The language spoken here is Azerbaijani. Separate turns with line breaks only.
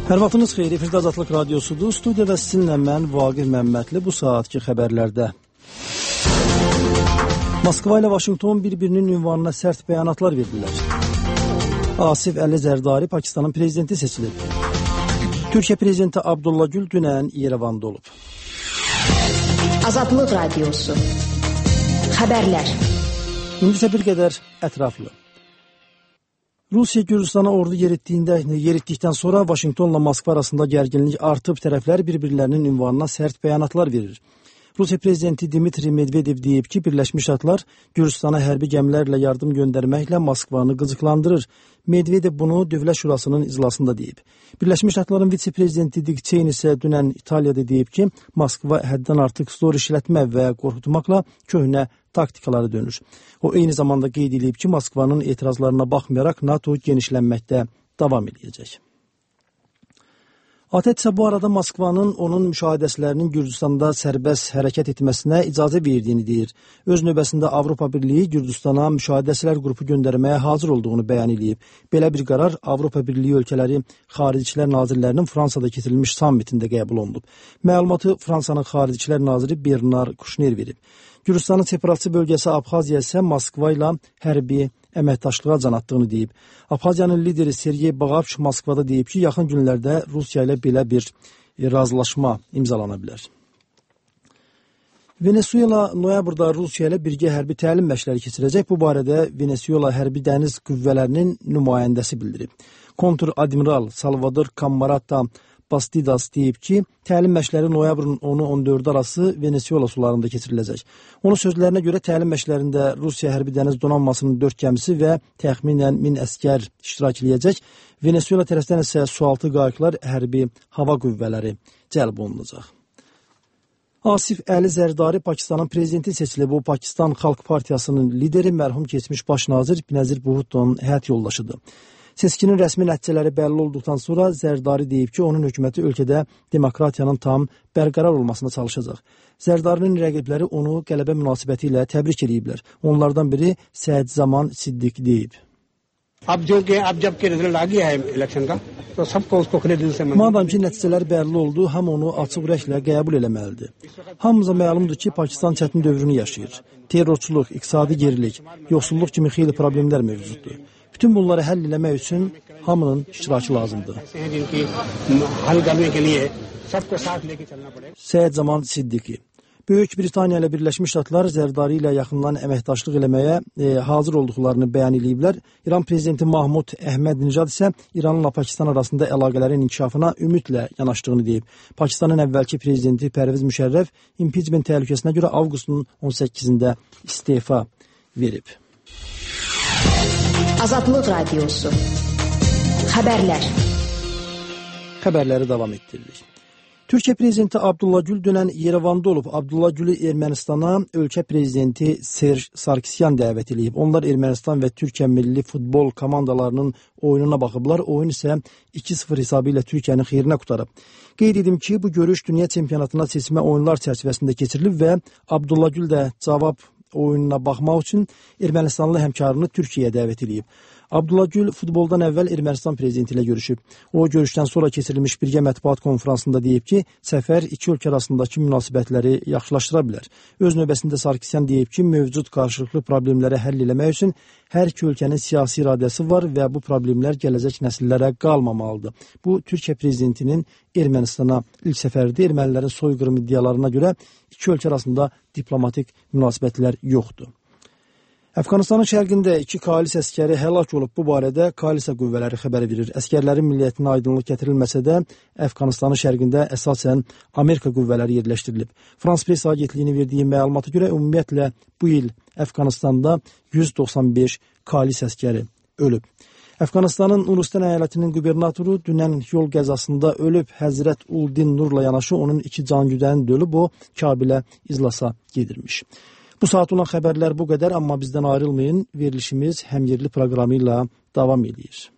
Hər vaxtınız xeyir, efirdə Azadlıq Radiosudur. Studiyada sizinlə mən Vaqif Məmmədli bu saatki xəbərlərdə. Moskva ilə Vaşinqton bir-birinin ünvanına sərt bəyanatlar verdilər. Asif Əli Zərdari Pakistanın prezidenti seçilib. Türkiyə prezidenti Abdullah Gül dünən İrəvanda olub.
Azadlıq Radiosu. Xəbərlər.
İndi isə bir qədər ətraflı. Rusiya Gürcüstana ordu yeritdikdən sonra Vaşinqtonla Moskva arasında gərginlik artıb, tərəflər bir-birlərinin ünvanına sərt bəyanatlar verir. Rusiya prezidenti Dmitri Medvedev deyib ki, Birləşmiş Ştatlar Gürcüstana hərbi gəmilərlə yardım göndərməklə Moskvanı qızıqlandırır. Medvedev bunu Dövlət Şurasının iclasında deyib. Birləşmiş Ştatların vitse-prezidenti Dick Cheney isə dünən İtaliyada deyib ki, Moskva həddən artıq zor işlətmə və qorxutmaqla köhnə taktikaları dönür. O eyni zamanda qeyd edib ki, Moskvanın etirazlarına baxmayaraq NATO genişlənməkdə davam edəcək. ATƏT isə bu arada Moskvanın onun müşahidəçilərinin Gürcüstanda sərbəst hərəkət etməsinə icazə verdiyini deyir. Öz növbəsində Avropa Birliyi Gürcüstana müşahidəçilər qrupu göndərməyə hazır olduğunu bəyan edib. Belə bir qərar Avropa Birliyi ölkələri Xarici İşlər Nazirlərinin Fransada keçirilmiş sammitində qəbul olunub. Məlumatı Fransanın Xarici İşlər Naziri Bernard Kouchner verib. Gürcüstanın separatçı bölgəsi Abxaziya isə Moskva ilə hərbi əməkdaşlığa can attığını deyib. Abxaziyanın lideri Sergey Bağapç Moskvada deyib ki, yaxın günlərdə Rusiya ilə belə bir razılaşma imzalana bilər. Venezuela noyabrda Rusiya ilə birgə hərbi təlim məşqləri keçirəcək. Bu barədə Venezuela hərbi dəniz qüvvələrinin nümayəndəsi bildirib. Kontur-admiral Salvador Camarata Bastidas deyib ki, təlim məşqləri noyabrın 10-14 arası Venezuela sularında keçiriləcək. Onun sözlərinə görə təlim məşqlərində Rusiya hərbi dəniz donanmasının 4 gəmisi və təxminən 1000 əskər iştirak edəcək. Venezuela tərəfdən isə sualtı qayıqlar, hərbi hava qüvvələri cəlb olunacaq. Asif Əli Zərdari Pakistanın prezidenti seçilib. O, Pakistan Xalq Partiyasının lideri, mərhum keçmiş baş nazir Benazir Bhutto'nun həyat yoldaşıdır. Seçkinin rəsmi nəticələri bəlli olduqdan sonra Zərdari deyib ki, onun hökuməti ölkədə demokratiyanın tam bərqərar olmasına çalışacaq. Zərdarinin rəqibləri onu qələbə münasibəti ilə təbrik ediblər. Onlardan biri Səid Zaman Siddiq deyib. Madam ki, nəticələr bəlli oldu, hamı onu açıq ürəklə qəbul eləməlidir. Hamımıza məlumdur ki, Pakistan çətin dövrünü yaşayır. Terrorçuluq, iqtisadi gerilik, yoxsulluq kimi xeyli problemlər mövcuddur. Bütün bunları həll eləmək üçün hamının iştirakı lazımdır. Səid Zaman Siddiqi. Böyük Britaniya ilə Birləşmiş Ştatlar Zərdari ilə yaxından əməkdaşlıq eləməyə hazır olduqlarını bəyan ediblər. İran prezidenti Mahmud Əhməd-Nijad isə İranla Pakistan arasında əlaqələrin inkişafına ümidlə yanaşdığını deyib. Pakistanın əvvəlki prezidenti Pərviz Müşərrəf impeachment təhlükəsinə görə avqustun 18-də istefa verib.
Azadlıq Radiosu. Xəbərlər.
Xəbərləri davam etdiririk. Türkiyə prezidenti Abdullah Gül dünən İrəvanda olub. Abdullah Gülü Ermənistana ölkə prezidenti Serj Sarkisyan dəvət edib. Onlar Ermənistan və Türkiyə milli futbol komandalarının oyununa baxıblar. Oyun isə 2-0 hesabı ilə Türkiyənin xeyrinə qutarıb. Qeyd edim ki, bu görüş dünya çempionatına seçmə oyunlar çərçivəsində keçirilib və Abdullah Gül də cavab oyununa baxmaq üçün Ermənistanlı həmkarını Türkiyəyə dəvət edib. Abdullah Gül futboldan əvvəl Ermənistan prezidenti ilə görüşüb. O, görüşdən sonra keçirilmiş birgə mətbuat konfransında deyib ki, səfər iki ölkə arasındakı münasibətləri yaxşılaşdıra bilər. Öz növbəsində Sarkisyan deyib ki, mövcud qarşılıqlı problemləri həll eləmək üçün hər iki ölkənin siyasi iradəsi var və bu problemlər gələcək nəsillərə qalmamalıdır. Bu, Türkiyə prezidentinin Ermənistana ilk səfərdə ermənilərin soyqırım iddialarına görə iki ölkə arasında diplomatik münasibətlər yoxdur. Əfqanistanın şərqində 2 koalis əskəri həlak olub. Bu barədə koalisiya qüvvələri xəbər verir. Əskərlərin milliyyətinə aydınlıq gətirilməsə də Əfqanistanın şərqində əsasən Amerika qüvvələri yerləşdirilib. Frans Press agentliyinin verdiyi məlumata görə ümumiyyətlə bu il Əfqanistanda 195 koalis əskəri ölüb. Əfqanistanın Nurustan əyalətinin qubernatoru dünən yol qəzasında ölüb. Həzrət Uldin Nurla yanaşı onun 2 can güdəni də ölüb. O, Kabilə iclasa gedirmiş. Bu saat olan xəbərlər bu qədər, amma bizdən ayrılmayın. Verilişimiz həm yerli proqramı ilə davam edir.